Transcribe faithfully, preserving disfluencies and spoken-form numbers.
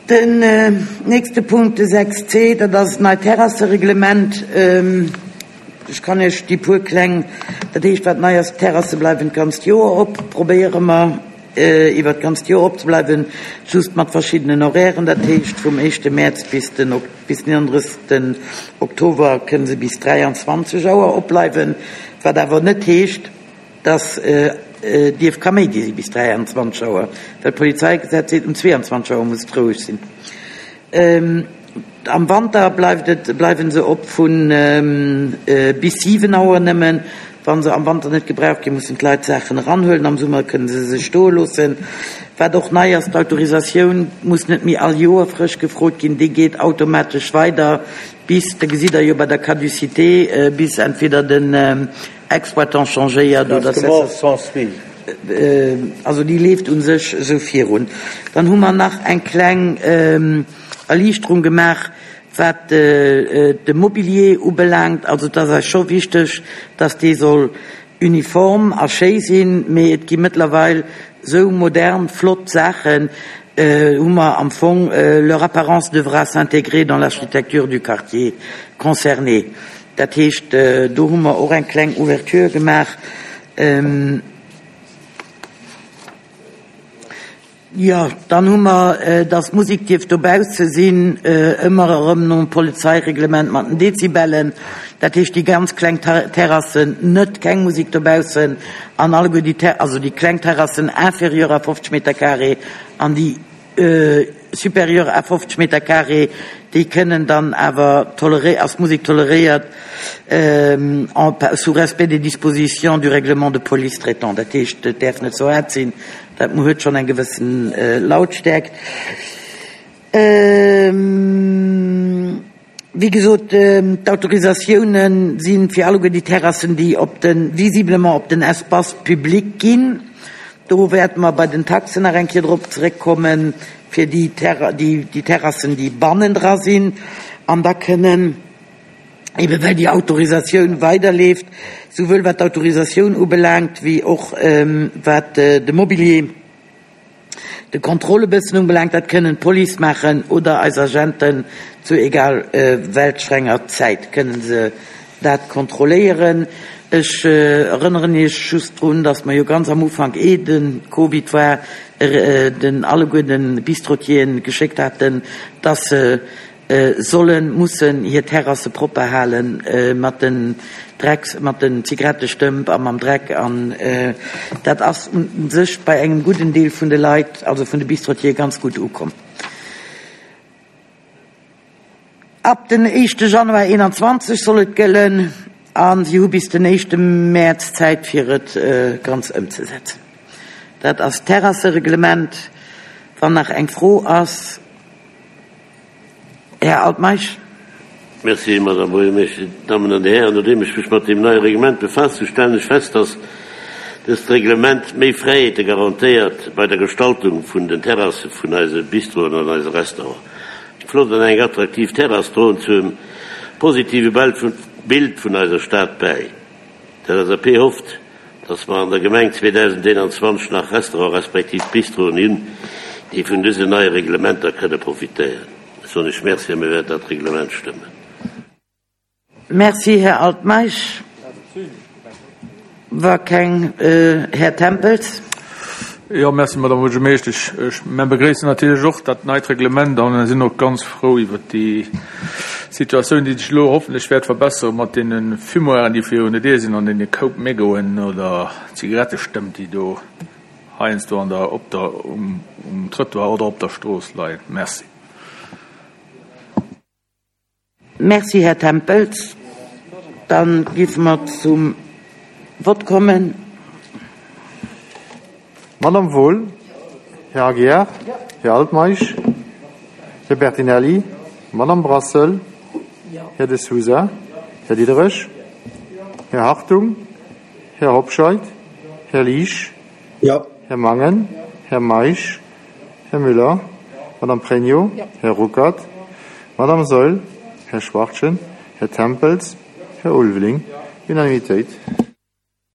Den nächste Punkt, de sechs C, dat ass d'neit Terrassereglement. Ech kann Iech déi puer kleng, dat heescht, wat nei ass, d'Terrasse bleiwen d'ganzt Joer op, probéiere mer iwwer d'ganzt Joer opzebleiwen, just mat verschiddenen Horairen, dat heescht vum éischte Mäerz bis den bis den eenunddrëssegsten Oktober kënne se bis dräianzwanzeg Auer opbleiwen, wat awer net heescht, dass dierf Kaméidi si bis dräianzwanzeg Auer, well d'Polizeigesetz seet, um zweeanzwanzeg Auer muss et roueg sinn. Am Wanter bleift et, bleiwen se op vu bis siwen Auer nëmmen. Wa se am Wanter net gebraucht ginn, mussen d'Leit d'Saachen eranhuelen. Am Summer kënne se se stoe loossen. Wat och nei ass, d'Autorisatioun muss net méi all Joer frësch gefrot ginn. Déi geet automatesch weider bis, da gesitt Der jo bei der Caducité, bis entweder den Exploitant changéiert oder also déi leeft u sech esou virun. Dann hu mer nach eng kleng Erliichterung gemaach, wat de Mobilier ubelaangt. Also et ass eis scho wichteg, dass dee soll uniform a schéi sinn, mee et gi mëttlerweil sou modern, flott Saachen, hu mer am Fong leur apparence devra s'intégrer dans l'architecture du quartier concerné. Dat heescht, do hu mer och eng kleng Ouverture gemaach. Jo, dann hu mer, dass d'Musek dierf dobausse sinn, ëmmer erëm nom Polizeireglement mat den Dezibellen. Dat heescht, déi ganz kleng Terrassen net, keng Musek dobaussen an alleguer déi, also déi kleng Terrassen inférieur à fofzeg Meter carré an déi supérieur à fofzeg Meter carré, déi kënnen dann awer toleré, ass d'Musek toleréiert en, sous respect des dispositions du règlement de police traitant. Dat heescht, et däerf net ze haart sinn. Dat huet schonn eng gewëssen Lautstärkt. Wéi gesot, d'Autorisatiounen si fir alleguer déi Terrassen, déi op de, visiblement op den Espace public ginn. Do wäerte mer bei den Taxen nach eng Kéier drop zeréckkommen, fir déi Terra-, déi, déi Terrassen, déi bannendra sinn. An da kënnen, eben well déi Autorisatioun weiderleeft, souwuel wat d'Autorisatioun ubelaangt, wéi och wat de Mobilier, de Contrôle e bëssen ubelaangt, dat kënnen d'Police maachen oder eis Agenten zu egal welch enger Zäit kënnen se dat kontrolléieren. Ech erënneren Iech just drun, dass mer jo ganz am Ufank, eh de Covid war, den alleguer de Bistrotieren geschéckt haten, dass se sollen, mussen hir Terrasse propper halen mat den Drecks, mat den Zigarettestëmp a mam Dreck. An dat ass u sech bei engem gudden Deel vun de Leit, also vun de Bistrotier, ganz gutt ukomm. Ab den éischte Januar eenanzwanzeg soll et gëllen a si hu bis den éischte Mäerz Zäit, fir et ganz ëmzesetzen. Dat ass d'Terrassereglement. Wann nach eng Fro ass, Här Altmeisch. Merci, Madame Buergermeeschtesch. Dammen an Dir Hären, nodeem ech mech mat deem neie Reglement befaasst hu, stellen ech fest, dass dëst Reglement méi Fräiheete garantéiert bei der Gestaltung vun den Terrasse vun eise Bistroen an eise Restauranten. Eng flott an eng attraktiv Terrass droen zum positive Bild vun eiser Stad bäi. D'L S A P hofft, dass mer an der Gemeng zweedausendeenanzwanzeg nach Restaurant respektiv Bistroen hunn, déi vun dësen neie Reglementer kënne profitéieren. Ech soen Iech Merci a mir wäerten dat Reglement stëmmen. Merci, Här Altmeisch. War keng Här Tempels. Jo, merci, Madame Buergermeeschtesch. Ech mir begréissen natierlech och dat neit Reglement an sinn och ganz frou iwwer déi Situatioun, déi sech elo hoffentlech wäert verbessere mat deene Fumoiren, déi virun der Dier sinn an deene Koup Mégoen oder Zigarettestëmp, déi do heiansdo an der, op der, um, um Trottoir oder op der Strooss leien. Merci. Merci, Här Tempels. Dann géife mer zum Vott kommen. Madame Wohl, Här Aguiar, Här Altmeisch, Här Bertinelli, Madame Brassel, Här De Sousa, Här Diderich, Här Hartung, Här Hobscheit, Här Liesch, Ja. Här Mangen, Här Meisch, Här Müller, Madame Pregno, Här Ruckert, Madame Saeul, Här Schwachtgen, Här Tempels, Här Ulveling. Unanimitéit.